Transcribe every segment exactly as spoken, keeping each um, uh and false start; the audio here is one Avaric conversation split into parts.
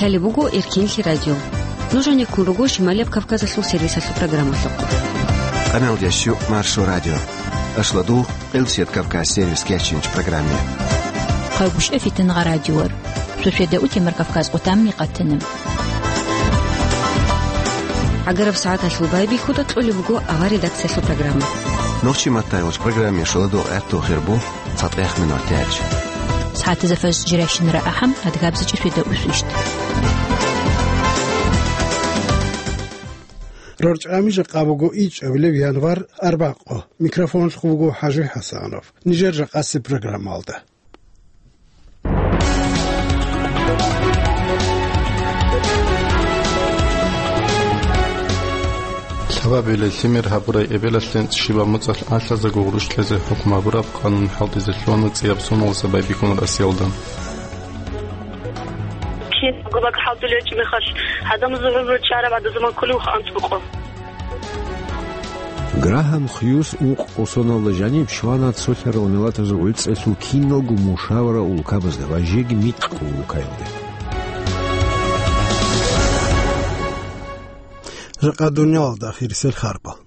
Лъалеб буго Эркинлъи радио. Нуж гьанеккун руго Шималияб Кавказалъул сервисалъул программалъухъ. Къаналдияс щук Маршо радио. Ашладу, Къилсият Кавказ сервис кечинч программе. Хъайгушев Фитнагъа радиор. Шошеда утемар Кавказ къутамни къатана. ГӀагараб сагӀаталъул байбихьуда кьолеб буго авар редакциялъул программа. Нохчи маттайгъоч программе шоладу гӀерту хирбу. ЦатӀех минутач. СагӀатазда фажр жирайщинара ахӀам, адгабзичӀеб шведа усвищт. РорчӀами жакъа буго ичӀабилеб январ, арбакъо. Микрофонлъухъ буго ХӀажи ХӀасанов. Нижер жакъасеб программалда. Лъабабилел лъимер гьабурай эбелалъе щибаб моцӀалъ алъазего гъурущ кьезе хӀукму гьабураб къанун хӀалтӀизе лъугьана цӀияб соналдаса байбихьун Россиялда. Кин гъобаг хӀалтӀулев гьечӀеб мехалъ, гӀадамазул гӀумру чӀараб гӀадазаман кколевха анцӀбукъу. Грахам Хьюз укъ-, укъ соналда жаниб щвана цолъарал миллатазул гӀицӀалъул киналго мушавара улкабазда ва жеги микьго улкаялде. Жакъа дуниялалда ахирисел харпал.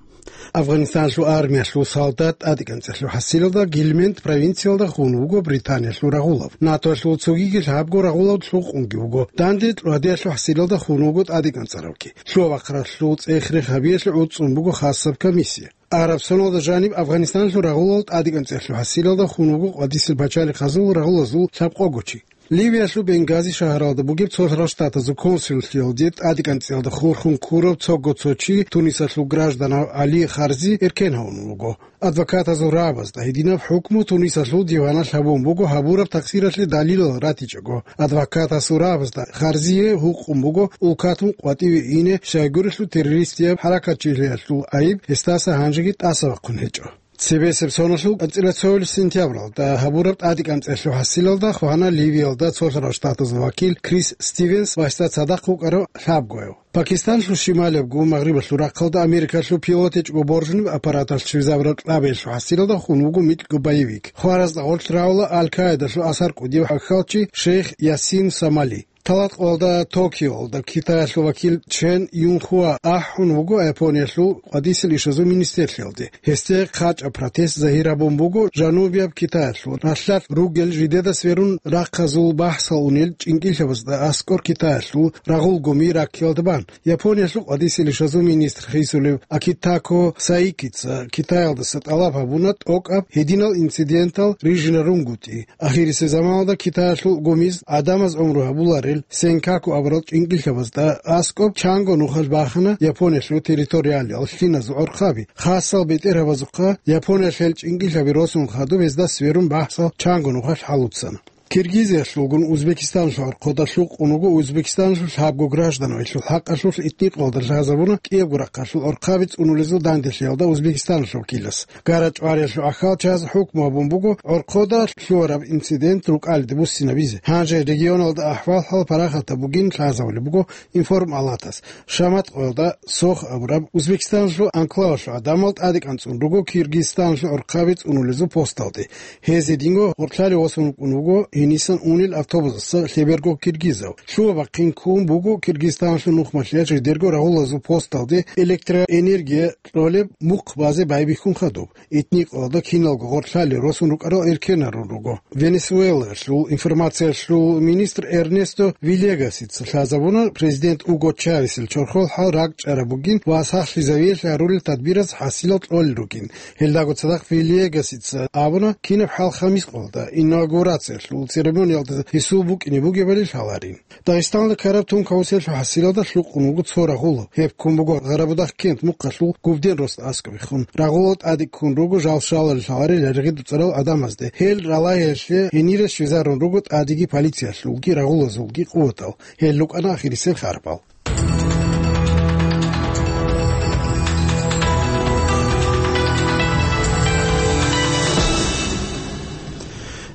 Афганистаналъул армиялъул солдат тӀадекӀанцӀелъул хӀасилалда Гильмент провинциялда хун вуго Британиялъул рагъулав. НАТОялъул цогиги лъабго рагъулав лъукъунги вуго. Данде тӀадегӀанлъул хӀасилалда хун вуго тӀадекӀанцӀаравги. Лъугьа-бахъаралъул цӀех-рех гьабиялъе гӀуцӀун буго хасаб комиссия. Араб соналда жаниб Афганистаналъул рагъулал тӀадекӀанцӀелъул хӀасилалда хун вуго къватӀисел пачалихъазул рагъулазул лъабкъого чи. Ливиялъул Бенгази шагьаралда бугеб Цолъарал Штатазул консуллъиялде тӀадекӀанцӀиялда хурхун ккурав цого цо чи, Тунисалъул гражданав Али Харзи, эркен гьавун вуго. Адвокатазул рагӀабазда гьединаб хӀукму Тунисалъул диваналъ гьабун буго гьабураб такъсиралъе далилал ратичӀого. Адвокатасул рагӀабазда Харзие гьукъун буго улкатун къватӀиве ине, щайгурелъул террористияб хӀаракатчилъиялъул айиб гьесдаса гьанжеги тӀаса вахъун гьечӀо. Цебесеб соналъул анцӀила цоялъ сентябралда гьабураб тӀадекӀанцӀелъул хӀасилалда хвана Ливиялда Цолъарал Штатазул вакил Крис Стивенс ва гьесда цадахъ вукӀарав лъабгояв. Пакистанлъул шималиябго магърибалъул рахъалда Америкалъул пилот гьечӀого боржунеб аппараталъ щвезабураб кьабиялъул хӀасилалда хун вуго микьго боевик. Хваразда гъорлъ рагӀула Аль-Каидалъул асар кӀудияв хӀакъалчи шейх Ясин Сомали. Талакъалда Токиолда Китаялъул вакил Чен Юнхуа ахӀун вуго Япониялъул къватӀисел ишазул министрлъиялде. Гьесде хъачӀаб протест загьир гьабун буго Жанубияб Китаялъул ралъдалъ ругел жидеда сверун рахъазул бахӀсал унел чӀинкӀиллъабазда аскӀор Китаялъул рагъул гуми раккиялда бан. Япониялъул къватӀисел ишазул министр хисулев Акитако Саикица Китаялдаса тӀалаб гьабуна тӀокӀаб гьединал инцидентал рижинарунгутӀи. Ахирисеб заманалда Китаялъул гумиз гӀадамаз гӀумру гьабуларел Сенкаку абурал чӀинкӀиллъабазда аскӀоб чанго нухалъ бахана Япониялъул территориалиял лъиназул гӀорхъаби. Хасал бетӀергьабазухъа Япониялъ гьел чӀинкӀиллъаби росун хадуб гьезда сверун бахӀсал чанго нухалъ хӀалуцана. Киргизиялъулгун Узбекистаналъул гӀорхъода лъукъун вуго Узбекистаналъул лъабго гражданав, гьелъул хӀакъалъулъ этникалда лъазабуна кӀиябго рахъалъул гӀорхъаби цӀунулезул данделъиялда Узбекистаналъул вакилас. ГарачӀвариялъул гӀахьалчияз хӀукму гьабун буго гӀорхъода лъугьараб инцидент рукӀалиде буссинабизе. Гьанже регионалда ахӀвал-хӀал парахатаб бугин лъазабулеб буго Информ-Алатас. Шамат къоялда Сох абураб Узбекистаналъул анклавалъул гӀадамал тӀадекӀанцӀун руго Киргизстаналъул гӀорхъаби цӀунулезул посталде. Гьез гьединго гъоркьлъалев восун вукӀун вуго гьенисан унел автобусаса лъеберго киргизав. Лъугьа-бахъин ккун буго Киргизстаналъул нухмалъиялъ жидерго рагъулазул посталде электроэнергия кьолеб мухъ базе байбихьун хадуб. Этникалда киналго гъоркьлъалел росун рукӀарал эркенарун руго. Венесуэлаялъул информациялъул министр Эрнесто Вильягасица лъазабуна президент Уго Чавесил чорхол хӀал ракӀчӀараб бугин ва сахлъизавиялъе гьарулел тадбираз хӀасилал кьолел ругин. Гьелдаго цадахъ Вильягасица абуна, кинаб хӀал хамис къоялда инаугурациялъул церемониялда гьесул букӀине бугебали лъаларин. Дагъистаналда ккараб тун кавусалъул хӀасилалда лъукъун вуго цо рагъулав. Гьеб ккун буго Гъарабудахъ кент мухъалъул Губден росда аскӀобехун. Рагъулал тӀаде ккун руго жал-шалалъ лъаларел гӀергъи дуцӀарал гӀадамазде. Гьел ралагьиялъе гьенире щвезарун руго тӀадеги полициялъулги рагъулазулги къуватал. Гьел рукӀана ахирисел харпал.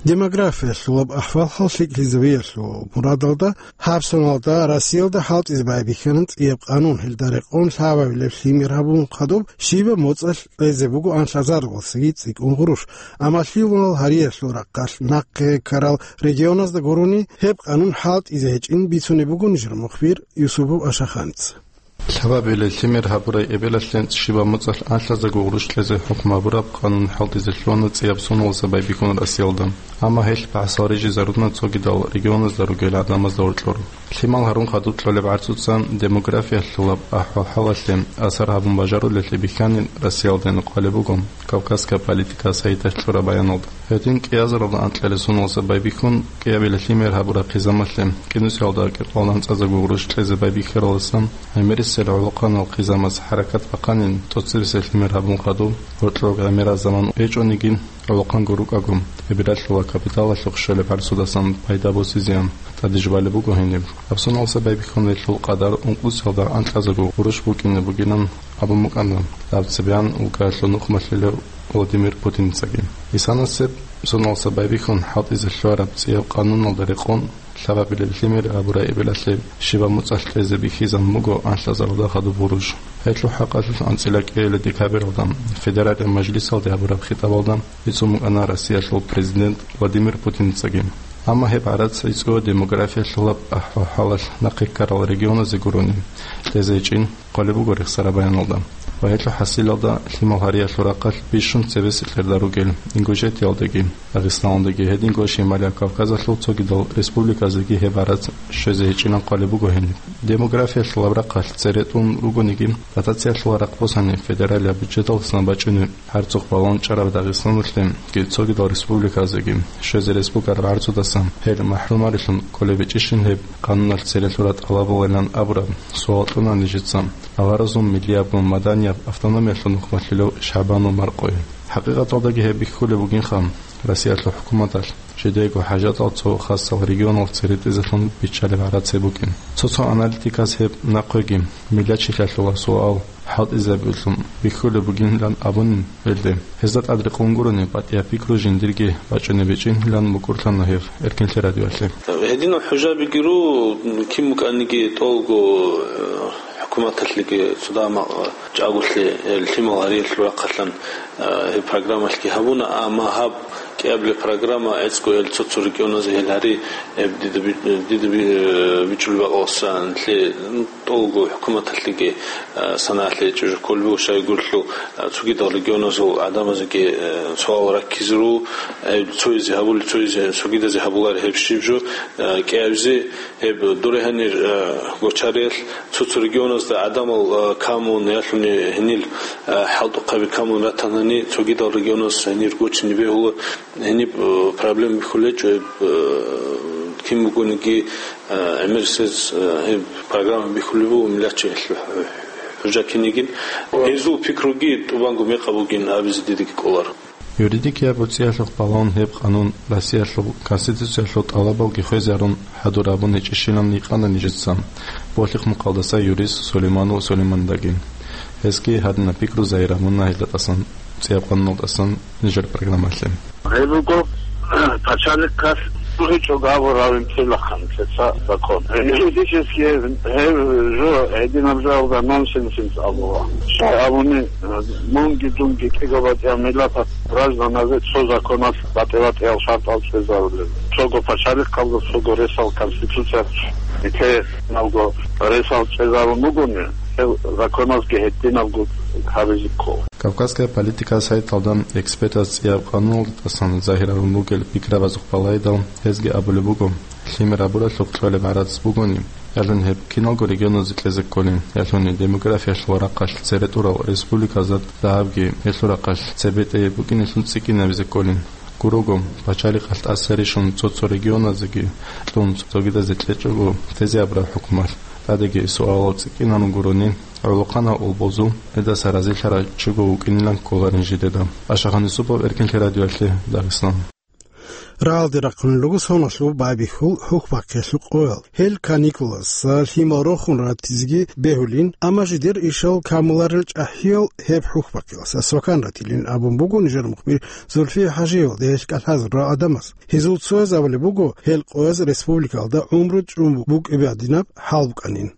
Демографиялъулаб ахӀвал-хӀал лъикӀлъизавиялъул мурадалда гьаб соналда Россиялда хӀалтӀизе байбихьана цӀияб къанун, гьелда рекъон лъабабилеб лъимер гьабун хадуб щибаб моцӀалъ кьезе буго анлъазаралдасаги цӀикӀкӀун гъурущ. Амма лъимал гьариялъул рахъалъ нахъе ккарал регионазда гурони гьеб къанун хӀалтӀизе гьечӀин бицунеб буго нижер мухбир Юсупов Ашаханица. Лъабабилеб лъимер гьабурай эбелалъе щибаб моцӀалъ анлъазарго гъурущ кьезе хӀукму гьабураб къанун хӀалтӀизе лъугьана цӀияб соналдаса байбихьун Россиялда. Амма гьелъ бахӀсал рижизаруна цогидал регионазда ругел гӀадамазда гьоркьор. Лъимал гьарун хадуб кьолеб гӀарцуца демографиялъулаб ахӀвал-хӀалалъе асар гьабун бажарулелъи бихьани Россиялда гьениб хъвалеб буго Кавказская политика сайталъ кьураб баяналда. Гьедин кӀиазаралда анкьалил соналдаса байбихьун, кӀиабилеб лъимер гьабураб хъизамалъе кӀинусиялда кӀикъоялда анцӀазарго гъурущ кьезе байбихьаралдасан гӀемерисел гӀолохъанал хъизамас хӀаракат бахъанин, тӀоцебесеб лъимер гьабун хадуб, гьоркьоб гӀемерал заман гьечӀониги, гӀолохъанго рукӀаго, эбелалъула капиталалъухъ щолеб гӀарцудасан пайда босизеян тӀаде жубалеб буго гьениб. Гьаб соналдаса байбихьун гьелъул къадар ункъусиялда анкьазарго гъурущ букӀине бугилан абун букӀана гьаб цебегӀан улкаялъул нухмалъулев Владимир Путинцаги. Исанасеб соналдаса байбихьун хӀалтӀизе лъугьараб цӀияб къануналда рекъон лъабабилеб лъимер гьабурай эбелалъе щибаб моцӀалъ кьезе бихьизабун буго анлъазаралда хадуб гъурущ. Гьелъул хӀакъалъулъ анцӀила кӀиабилеб декабралда Федералияб Мажлисалде гьабураб хитӀабалда бицун букӀана Россиялъул президент Владимир Путинцаги. Амма гьеб гӀарац гӀицӀго демографиялъулаб ахӀвал-хӀалалъ нахъе ккарал регионазе гурони кьезе гьечӀин хъвалеб буго рехсараб баяналда. Ва гьелъул хӀасилалда лъимал гьариялъул рахъалъ бищун цебесеб кьерда ругел Ингушетиялдаги, Дагъистаналдаги, гьединго Шималияб Кавказалъул цогидал республиказеги гьеб гӀарац щвезе гьечӀилан хъвалеб буго гьениб. Демографиялъулаб рахъалъ цере тӀун ругониги, дотациялъул рахъ босани федералияб бюджеталдасан бачӀунеб гьарцухъ балагьун чӀараб Дагъистаналъеги цогидал республиказеги щвезе рес бугеб гӀарцудасан гьел махӀрумарилъун кколеб гьечӀищин гьеб къануналъ цере лъураб тӀалабалилан абураб суал кьуна нижеца аваразул миллиябго маданияб автономиялъул нухмалъулев ШагӀбанул Маркъое. ХӀакъикъаталдаги гьеб бихьулеб бугинха, Россиялъул хӀукуматалъ жидеего хӀажатал цо хасал регионал цере тӀезелъун биччалеб гӀарац гьеб букӀин. Цо-цо аналитиказ гьеб нахъеги миллатчилъалъула суал хӀалтӀизабулъун бихьулеб бугинилан абунин гьелде. Гьезда тӀад рекъон гурони, батӀияб пикру жиндирги бачӀунеб гьечӀинилан букӀурлъана гьеб Эркинлъи радиоялъе. Гьединал хӀужабиги ру, кин букӀаниги тӀолго, э, хӀукуматалъеги цо дагьа чӀаголъи, э, лъимал гьариялъул рахъалъан, э, гьеб программалъги гьабуна, амма гьаб кӀиабилеб программа гӀицӀго гьел цо-цо регионазе гьел гьари, э, дида би-, дида би-, э, бичӀчӀулеб бакӀалдасан лъе, м, тӀолго хӀукуматалъеги, э, санагӀалъе чӀужу кколеб буго, щайгурелъул, э, цогидал регионазул гӀадамазеги, э, суал раккизе ру, э, цоязе гьабулеб, цоязе, цогидазе гьабуларо гьеб щиб жо, э, кӀиабизе. Гьеб дуре гьанир, э, гочариялъ цо-цо регионазда гӀадамал, э, камун, ялъуни гьенил, э, хӀалтӀухъаби камун ратанани, цогидал регионаз гьенир гочине бегьула, гьениб, э, проблема бихьулечӀо, гьеб, э, кин бугониги, э, гӀемерисез, э, гьеб программа бихьулеб буго миллатчи гьелъул хӀу-, хӀужа кинигин. Гьезул пикруги тӀубанго мекъаб бугин абизе дидаги кӀоларо. Юридикияб буцӀиялъухъ балагьун гьеб къанун Россиялъул Конституциялъул тӀалабалги хвезарун хӀадур абун гьечӀищилан гьикъана нижеца Болъихъ-Мухъалдаса юрист Сулейманов Сулеймандаги. Гьесги гьадинаб пикру загьир гьабуна гьелда тӀасан, цӀияб къануналдасан нижер программалъе. Гьеб буго, пачалихъалъ гьечӀого абураб гьабун цевлъахъан лъеца закон. Юридически гьеб жо гьединаб жоялда нонсенсин абула. Щай абуни, мунги дунги кӀиго батӀияб миллаталъ гражданазе цо законалъ батӀи-батӀиял шартӀал цӀезарулел. Цого пачалихъалда цого ресал конституциялъ нилъее набго ресал цӀезарун бугони, гьел законазги гьединабго гьабизе ккола. Кавказская политика сайталда экспертаз цӀияб къануналда тӀасан загьир гьарун бугел пикрабазухъ балайдал, гьезги абулеб буго, лъимер гьабуралъухъ кьолеб гӀарац бугони, ялъуни гьеб киналго регионазе кьезе кколин, ялъуни демографиялъул рахъалъ цере тӀурал республиказда дагьабги гьелъул рахъалъ цебетӀей букӀинелъун цӀикӀкӀинабизе кколин. Гурого, пачалихъалъ тӀаса рищун цо-цо регионазеги кьун цогидазе кьечӀого тезе абураб хӀукумалъ тӀадеги суалал цӀикӀкӀинарун гурони, гӀолохъанал улбузул гьедаса разилъарав чиго вукӀинилан кколарин жидеда. Ашахъан Юсупов, Эркинлъи радиоялъе, Дагъистан. Рагъалде рахъунел руго соналъуб байбихьул хӀухьбахъиялъул къоял. Гьел каникулазда лъимал рохун ратизеги бегьулин, амма жидер ишал камуларел чӀахӀиял гьеб хӀухьбахъиялъ свакан ратилин абун буго нижер мухбир Зульфия ХӀажиевалда гьелъ кӀалъазарурал гӀадамаз. Гьезул цояз абулеб буго, гьел къояз республикалда гӀумру чӀун букӀине гьадинаб хӀал букӀанин.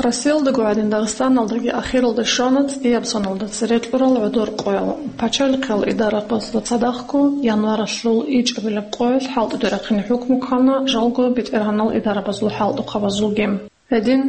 Россиялдаго гӀадин Дагъистаналдаги ахиралда щвана цӀияб соналда цере кьурал гӀодор къоял. Пачалихъал идарабазда цадахъго январалъул ичӀабилеб къоялъ хӀалтӀуде рахъине хӀукму ккана жалго бетӀергьанал идарабазул хӀалтӀухъабазулги. Гьедин,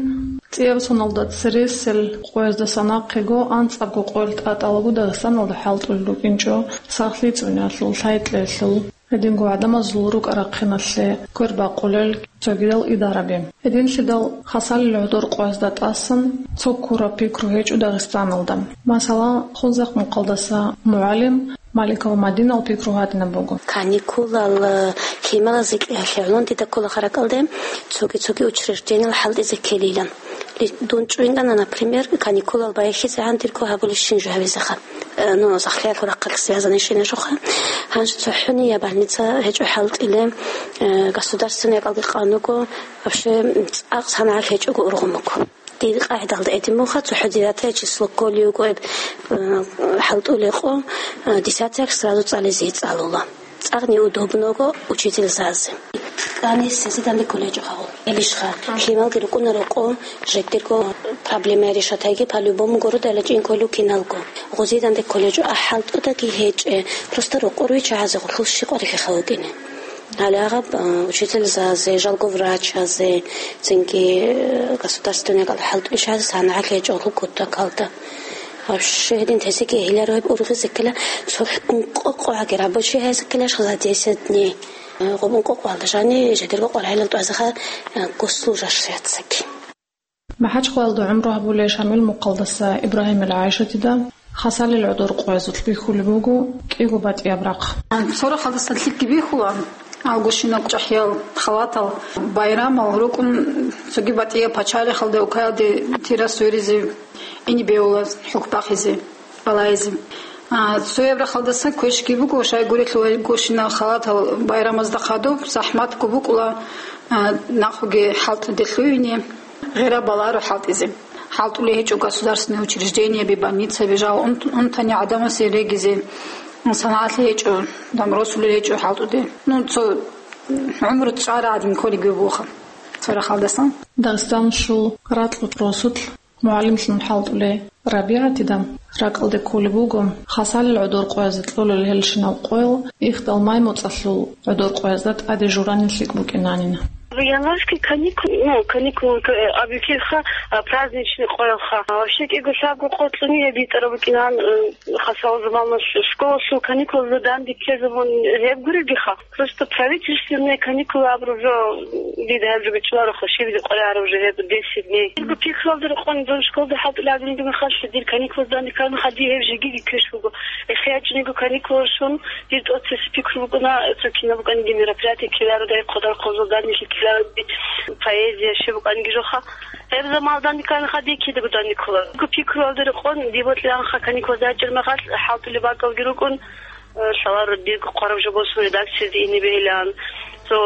цӀияб соналда цересел къоязда нахъего анцӀабго къоялъ тӀатӀалаго Дагъистаналда хӀалтӀулел рукӀинчӀо сахлъи цӀуниялъул, лъай-кьеялъул, гьединго гӀадамазул рукӀа-рахъиналъе квербакъулел цогидал идараби. Гьединлъидал хасалил гӀодор къоязда тӀасан цо ккураб пикру гьечӀо Дагъистаналда. Масала, Хунзахъ мухъалдаса мугӀалим Маликова Мадинал пикру гьадинаб буго. Каникулал, э, лъималазе кӀиялъе гӀолон дида ккола ракӀалде цоги-цоги учреждениялъ хӀалтӀизе ккелилан. Ли-, дун чӀвинкӀана, например, каникулал байхизегӀан дирго гьабулеб щинаб жо гьабизеха. Э, ну, сахлъиялъул рахъалъ связанный щинаб жоха. Гьанже цохӀони я больница гьечӀо хӀалтӀулеб, э, государственный якӀалги къан вуго, вообще цӀакъ санагӀалъ гьечӀого ургъун буго. Дир къагӀидалда гьедин буха, цохӀо девятое число кколев вуго, э, хӀалтӀулеб къо, э, десятое сразу цӀализе цӀалула. ЦӀакъ неудобно вуго учительзазе. Къанисезе данде кколечӀо гьавул. Илищха, лъималги рукӀунаро къо, жидерго проблема решатайги по-любому гуро дала чӀин кколев киналго. Гъозе данде кколечӀо, а хӀалтӀудаги гьечӀеб, просто рокъор виччагӀазе гъулъул щикъ варихьиха вукӀине. Гьале гьаб, а, учительзазе, жалго врачазе, цинги, э, государственный кӀал хӀалтӀулъизе санагӀалъ гьечӀо гьул кутакалда. Вообще гьедин тесеги гьеларо гьеб ургъизе ккела, цо ункъо къояги рабочий гьазе ккела, за десять дней. Э, гъоб ункъо къоялда жани жидерго къваригӀелал тӀуязеха, э, госслужащаяцаги. МахӀачхъалаялда гӀумру гьабулей Шамил мухъалдаса Ибрагьимил ГӀайшатида хасалил гӀодор къоязулъ бихьулеб буго кӀиго батӀияб рахъ. Цо рахъалдасан лъикӀги бихьула, августина чӀахӀиял халатал, байрамал рукӀун цоги батӀияб пачалихъалда, Украинаялде тира сверизе, ине бегьула хӀухьбахъизе. Балайзе. А, цояб рахъалдасан квешги буго, щайгурелъул гьел гощинал халатал байрамазда хадуб, захӀматго букӀула, а, нахъуги хӀалтӀуде лъугьине, гъира баларо хӀалтӀизе. ХӀалтӀулей гьечӀо государственный учреждениеби, больницаби, жал унт-, унтани гӀадамасе регизе, санагӀалъи гьечӀо, дам росулел гьечӀо хӀалтӀуде. Ну, цо гӀумру чӀара гӀадин кколеб бугоха цо рахъалдасан. Дагъистаналъул Ракьул росулъ мугӀалимлъун хӀалтӀулей РабигӀатида ракӀалде кколеб буго, хасалил гӀодор къоязе кьолел гьелщинал къоял ихдал май моцӀалъул гӀодор къоязда тӀаде журани лъикӀ букӀинанин. Январский каникул, ну, каникул, э, абикьиха, а, праздничный къоялха. А, вообще кӀиго лъабго къо кьуни гьеб битӀараб букӀинан, э, хасал заманалъ школалъул каникулазда данде ккезе мун гьеб гуребиха. Просто правительственные каникулы абураб жо, дида гьаб жо бичӀчӀулароха, щиб къваригӀараб жо гьеб десять дней. Дирго пикруялда рекъон, дун школалда хӀалтӀулеб гьабилеб мехалъ, дир каникулазда данде ккараб мехалъ, дие гьеб жеги ккеш буго. ЭхиячӀниго каникулал щун, дир тӀоцебесеб пикру букӀуна, цо кинаб букӀаниги мероприятие ккеларо, дай хъвадар-хъвазул данделъи ккеларо, поэзия, щиб букӀаниги жоха. Гьеб заманалда данде ккараб мехалъ, дие кидаго данде ккола. Дирго пикруялда рекъон, дие бокьилаанха каникулазда рачӀараб мехалъ, хӀалтӀулеб бакӀалги рукӀун, лъаларо дирго хъвараб жо босун редакциялде ине бегьилаан. Цо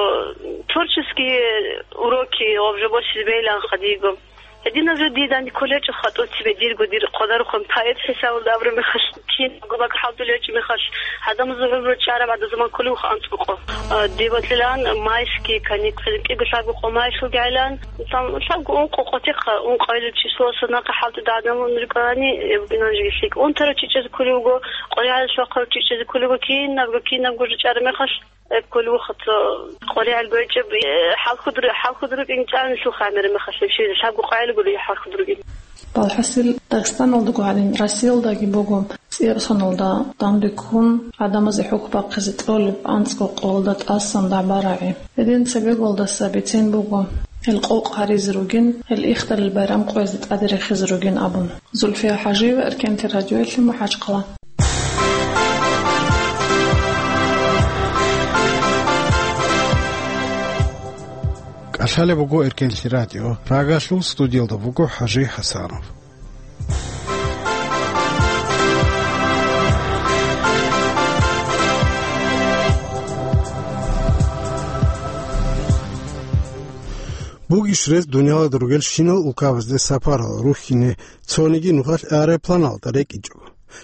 творческие уроки гьаб жо босизе бегьилаан хадиго. Гьединаб жо дие данде кколечӀо хатӀуцебе дирго, дир хъвадарухъан поэт хӀисабалда абураб мехалъ, кинабго бакӀ хӀалтӀулев гьечӀеб мехалъ, гӀадамазул гӀумру чӀараб гӀадамазул заман кколевха анцӀго къо. А, дие бокьилаан майские каникулы, кӀиго лъабго къо майсулги гӀелаан, там лъабго ункъо къотихъа, ункъоялъул числоялъул нахъа хӀалтӀуда гӀадамал рукӀарани, э, букӀинан жеги лъикӀ. Унтарав чи чӀезе кколев вуго, къваригӀел щвахъарав чи чӀезе кколев вуго, кинабго, кинабго жо чӀараб мехалъ, э, кколев вуго, цо къваригӀел гьечӀеб, э, хӀалхуд-, хӀалхуд рукӀин чӀанилъул хамер мехалъ, вообще лъабго къоялъ гури хӀалхуд рукӀин. Балхасил, Дагъистаналдаго гьадин Россиялдаги буго, цӀияб соналда данде ккун, гӀадамазе хӀухь бахъизе кьолеб анцӀго къоялда тӀасан дагӀба-рагӀи. Гьедин цебеголдаса бицен буго, гьел къокъ гьаризе ругин, гьел ихдалил байрам къоязда тӀаде рехизе ругин абун. Зульфия ХӀажиева, Эркенлъи радиоялъе, МахӀачхъала. КӀалъалеб буго Эркенлъи радио, Прагалъул, студиялда буго ХӀажи ХӀасанов. Иш рес дунялалда ругел щинал улкабазде сапарал рухьине цониги нухалъ аэропланалда рекӀинчӀо.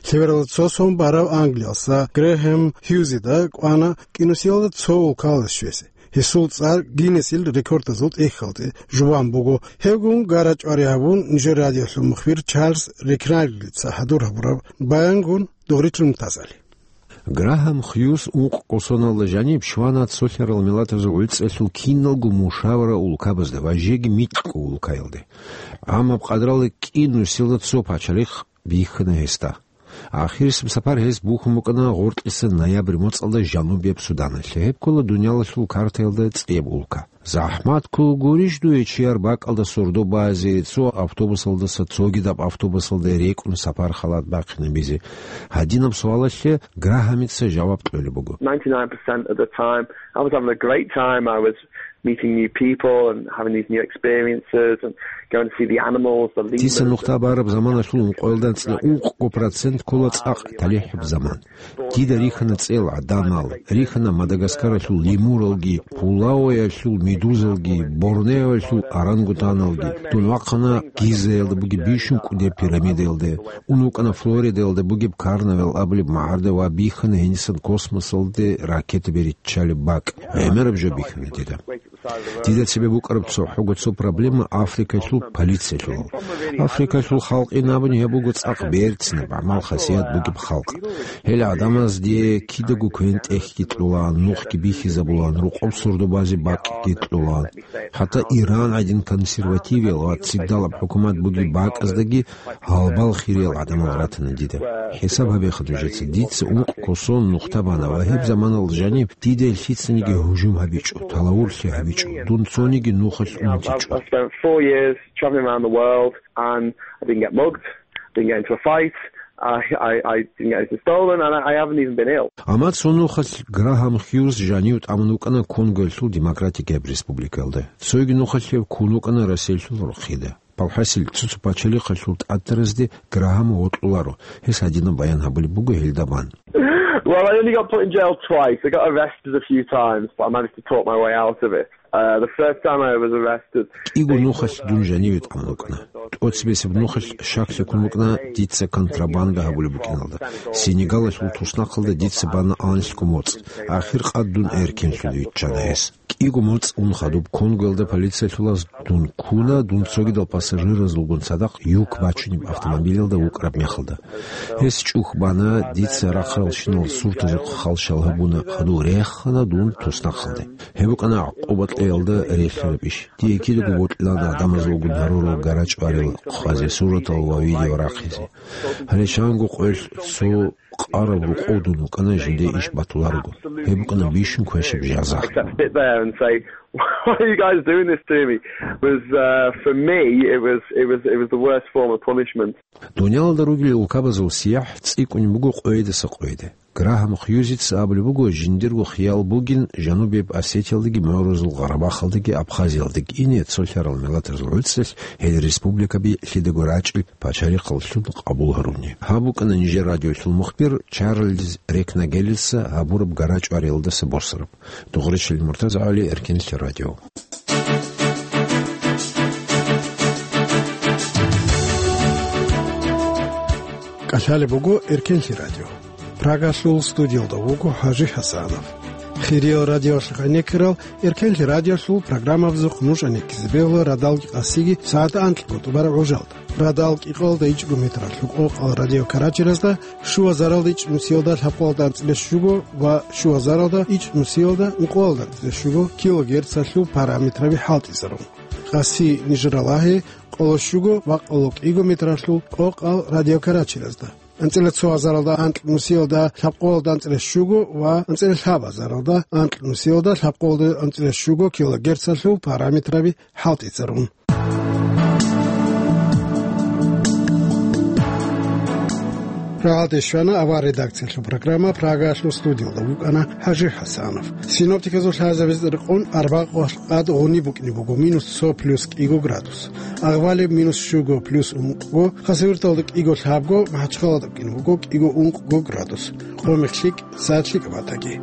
Лъебералда цо сон барав Англиялса Грехем Хьюзида кӀвана кӀинусиялда цо улкалда щвезе. Гьесул цӀар Гиннесил рекордазул тӀехьалде жубан буго. Гьевгун гара-чӀвари гьабун, нижер радиолъул мухбир Чарльз Рекнагельца хӀадур гьабураб баянгун, Дугъричилан мутазали. Грахам Хьюз ункъ кӀусоналда жаниб щвана цолъарал миллатазул гӀуцӀелъул киналго мушавара улкабазда ва жеги микьго улкаялде. Амма къадралда кӀинусиялда цо пачалихъ бихьана гьесда. Ахирисеб сапар гьес бухьун букӀана гъоркьиса ноябрь моцӀалда Жанубияб Суданалъе. Гьеб ккола дунялалъул картаялда цӀеб улка. ЗахӀмат ккола гурищ дуе чияр бакӀалда сордо базе, цо автобусалдаса цогидаб автобусалда рекӀун сапар халат бахъинабизе? Гьадинаб суалалъе Грахамица жаваб кьолеб буго. Ninety-nine percent of the time, I was having a great time. I was meeting new people and having these new experiences and going to see the animals, the lemurs. Дица нухда бараб заманалъул ункъоялда анцӀила ункъго процент ккола цӀакъ талихӀаб заман. Дида рихьана цӀел гӀадамал, рихьана Мадагаскаралъул лемуралги, Пулауаялъул медузалги, Борнеоялъул орангутаналги. Дун вахъана Гизаялда бугеб бищун кӀудеб пирамидаялде, ун вукӀана Флоридаялда бугеб карнавал абулеб магӀарда ва бихьана гьенисан космосалде ракетаби риччалеб бакӀ. ГӀемераб жо бихьана дида. Дида цебе букӀараб цохӀого цо проблема Африкалъул полициялъул. Африкалъул халкъ ин абуни гьеб буго цӀакъ берцинаб, гӀамал-хасият бугеб халкъ. Гьел гӀадамаз дие кидаго квен-тӀехьги кьолаан, нухги бихьизабулаан, рокъоб сордо базе бакӀги кьолаан. ХӀатта Иран гӀадин консервативиял ва цигдалаб хӀукумат бугеб бакӀаздаги гьалбал хириял гӀадамал ратана дида. ХӀисаб гьабеха нужеца, дица ункъ косун нухда бана ва гьеб заманалда жаниб дида лъицаниги гьужум гьабичӀо, талавурлъи гьабичӀо, дун цониги нухалъ унтичӀо. I spent four years traveling around the world and I didn't get mugged, didn't get into a fight, I, I, I didn't get anything stolen and I, I haven't even been ill. Амма цо нухалъ Грахам Хьюз жанив тӀамун вукӀана Конгоялъул Демократикияб Республикаялда. Цоги нухалъ гьев ккун вукӀана Россиялъул рохида. Палхасил цо-цо пачалихъалъул тӀатаразде Грахам вокьуларо. Гьес гьадинаб баян гьабулеб буго гьелда бан. Well, I only got put in jail twice. I got arrested a few times, but I managed to talk my way out of it. Uh, the first time I was arrested, КӀиго нухалъ дун жаниве тӀамун вукӀана. ТӀоцебесеб нухалъ щаклъи ккун букӀана дица контрабанда гьабулеб букӀиналда. Сенегалалъул туснахъалда дица бана анлъго моцӀ. Ахир къад дун эркенлъун виччана гьес. КӀиго моцӀ ун хадуб Конгоялда полициялъулаз дун ккуна, дун цогидал пассажиразулгун цадахъ юк бачунеб автомобилялда вукӀараб мехалда. Гьес чӀухь бана, дица рахъаралщинал суртазе хъалщал гьабуна, хадув рехана дун туснахъалде. Гьеб букӀана гӀакъуба кьеялда релълъараб иш. Дие кидаго бокьилан гӀадамазулгун гьарурал гара-чӀварил хъвазе суратал ва видео рахъизе. Гьале чанго къоялъ цо къараб рокъов дун вукӀана жинде иш батуларого. Гьеб букӀана бищун квешаб жаза. Except sit there and say, "Why are you guys doing this to me?" Was, uh, for me, it was, it was, it was the worst form of punishment. Дунялалда ругел улкабазул сияхӀ цӀикӀкӀунеб буго къойидаса къойиде. Грахам Хьюзица абулеб буго, жиндирго хиял бугин Жанубияб Осетиялдаги, МагӀрузул Гъарабахалдаги, Абхазиялдаги ине цолъарал миллатазул гӀуцӀралъ гьел республикаби лъидаго рачӀил пачалихъаллъун къабул гьаруни. Гьаб букӀана нижер радиолъул мухбир Чарльз Рекнагелица гьабураб гара-чӀвариялдаса босараб. Дугъричилан Муртазагьали, Эркенлъи радио. КӀалъалеб буго Эркенлъи радио. Прагалъул студиялда вуго ХӀажи ХӀасанов. Хириял радиоялъухъ гӀенеккарал Эркенлъи радиолъул программабазухъ нуж гӀенеккизе бегьула радалги къасиги сагӀат анкьго тӀубараб гӀужалда. Радал кӀикъоялда ичӀго метралъул къокъал радиокарачелазда, щуазаралда ичӀнусиялда лъабкъоялда анцӀила щуго ва щуазаралда ичӀнусиялда ункъоялда анцӀила щуго килогерцалъул параметраби хӀалтӀизарун. Къаси нижер ралагье къоло щуго ва къоло кӀиго метралъул къокъал радиокарачелазда. АнцӀила цо азаралда анкьнусиялда лъабкъоялда анцӀила щуго ва анцӀила лъабазаралда анкьнусиялда лъабкъоялда анцӀила щуго килогерцалъул параметраби хӀалтӀизарун. Рагьалде щвана авар редакциялъул программа, Прагаялъул студиялда вукӀана ХӀажи ХӀасанов. Синоптиказул лъазабиз рекъон арбакъ къад гъуни букӀине буго, минус цо плюс кӀиго градус. Агъвалеб минус щуго плюс ункъго, Хасавюрталда кӀиго лъабго, МахӀачхъалада букӀине буго кӀиго ункъго градус. Къо-мех лъикӀ, сагӀат лъикӀаб батаги.